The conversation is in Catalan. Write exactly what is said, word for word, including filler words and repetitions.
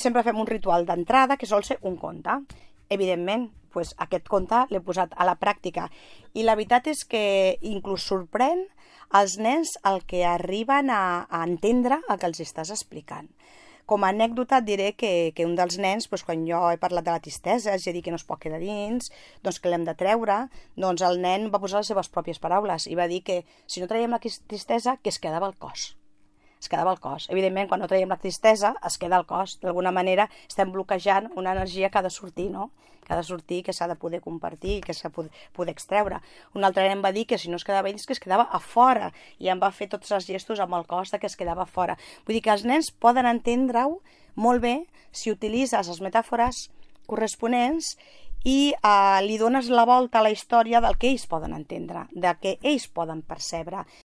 sempre fem un ritual d'entrada que sol ser un conte. Evidentment, doncs aquest conte l'he posat a la pràctica i la veritat és que inclús sorprèn els nens el que arriben a, a entendre el que els estàs explicant. Com a anècdota et diré que, que un dels nens, doncs, quan jo he parlat de la tristesa, és a dir, que no es pot quedar dins, doncs que l'hem de treure, doncs el nen va posar les seves pròpies paraules i va dir que si no traiem la tristesa, que es quedava al cos. Es quedava al cos. Evidentment, quan no traiem la tristesa, es queda al cos. D'alguna manera estem bloquejant una energia que ha de sortir, no? Que ha de sortir, que s'ha de poder compartir, que s'ha de poder extreure. Un altre nen va dir que si no es quedava dins, que es quedava a fora, i em va fer tots els gestos amb el cos de que es quedava a fora. Vull dir que els nens poden entendre-ho molt bé si utilitzes les metàfores corresponents i eh, li dones la volta a la història del que ells poden entendre, del que ells poden percebre.